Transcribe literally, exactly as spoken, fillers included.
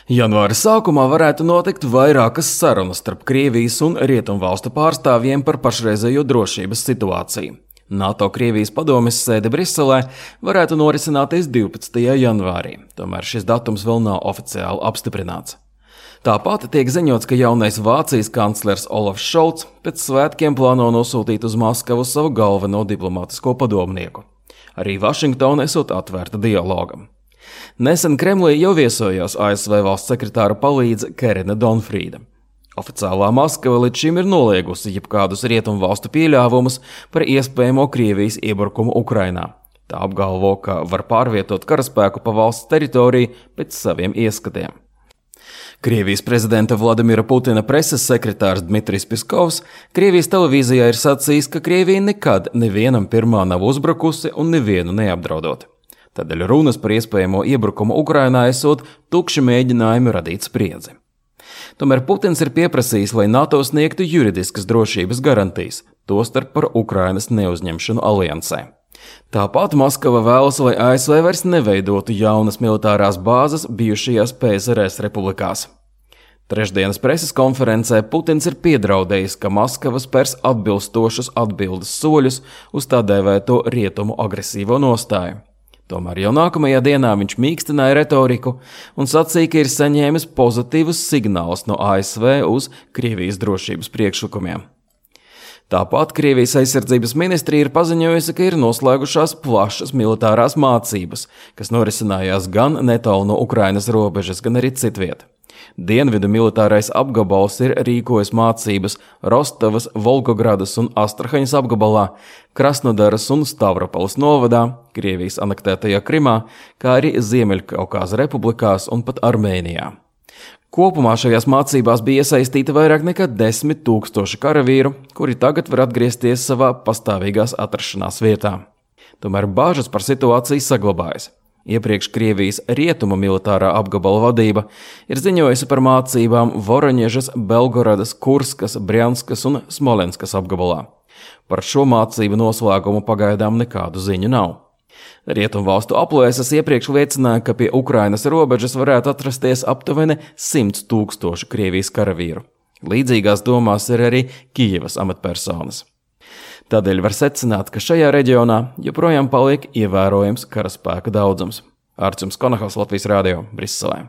Janvāra sākumā varētu notikt vairākas sarunas starp Krievijas un Rietumvalstu pārstāvjiem par pašreizējo drošības situāciju. NATO-Krievijas padomes sēde Briselē varētu norisināties divpadsmitajā janvārī, tomēr šis datums vēl nav oficiāli apstiprināts. Tāpat tiek ziņots, ka jaunais Vācijas kanclers Olafs Šolts pēc svētkiem plāno nosūtīt uz Maskavu savu galveno diplomātisko padomnieku. Arī Vašingtona esot atvērta dialogam. Nesen Kremlī jau viesojās A S V valsts sekretāra palīdze Kerina Donfrīda. Oficiālā Maskava līdz šim ir noliegusi jebkādus Rietumvalstu pieļāvumus par iespējamo Krievijas iebrukumu Ukrainā. Tā apgalvo, ka var pārvietot karaspēku pa valsts teritoriju pēc saviem ieskatiem. Krievijas prezidenta Vladimira Putina preses sekretārs Dmitrijs Piskovs Krievijas televīzijā ir sacījis, ka Krievija nekad nevienam pirmā nav uzbrukusi un nevienu neapdraudot. Tādēļ runas par iespējamo iebrukumu Ukrainā esot tukši mēģinājumi radīt spriedzi. Tomēr Putins ir pieprasījis, lai NATO sniegtu juridiskas drošības garantijas, tostarp par Ukrainas neuzņemšanu aliansē. Tāpat Maskava vēlas, lai A S V vairs neveidotu jaunas militārās bāzes bijušajās P S R S republikās. Trešdienas preses konferencē Putins ir piedraudējis, ka Maskava spērs atbilstošus atbildes soļus uz tā dēvēto rietumu agresīvo nostāju. Tomēr jau nākamajā dienā viņš mīkstināja retoriku un sacīja, ka ir saņēmis pozitīvus signālus no A S V uz Krievijas drošības priekšlikumiem. Tāpat Krievijas aizsardzības ministrija ir paziņojusi, ka ir noslēgušās plašas militārās mācības, kas norisinājās gan netālu no Ukrainas robežas, gan arī citviet. Dienvidu militārais apgabals ir rīkojis mācības Rostovas, Volgogradas un Astrahaņas apgabalā, Krasnodaras un Stavropoles novadā, Krievijas anektētajā Krimā, kā arī Ziemeļkaukāza republikās un pat Armēnijā. Kopumā šajās mācībās bija iesaistīta vairāk nekā desmit tūkstoši karavīru, kuri tagad var atgriezties savā pastāvīgās atrašanās vietā. Tomēr bāžas par situāciju saglabājas. Iepriekš Krievijas rietumu militārā apgabala vadība ir ziņojusi par mācībām Voroņežas, Belgorodas, Kurskas, Brjanskas un Smolenskas apgabalā. Par šo mācību noslēgumu pagaidām nekādu ziņu nav. Rietumvalstu aplēses iepriekš liecināja, ka pie Ukrainas robežas varētu atrasties aptuveni simts tūkstoši Krievijas karavīru. Līdzīgās domās ir arī Kijevas amatpersonas. Tādēļ var secināt, ka šajā reģionā joprojām paliek ievērojams karaspēka daudzums. Ārčuns Konahaus, Latvijas radio, Briselē.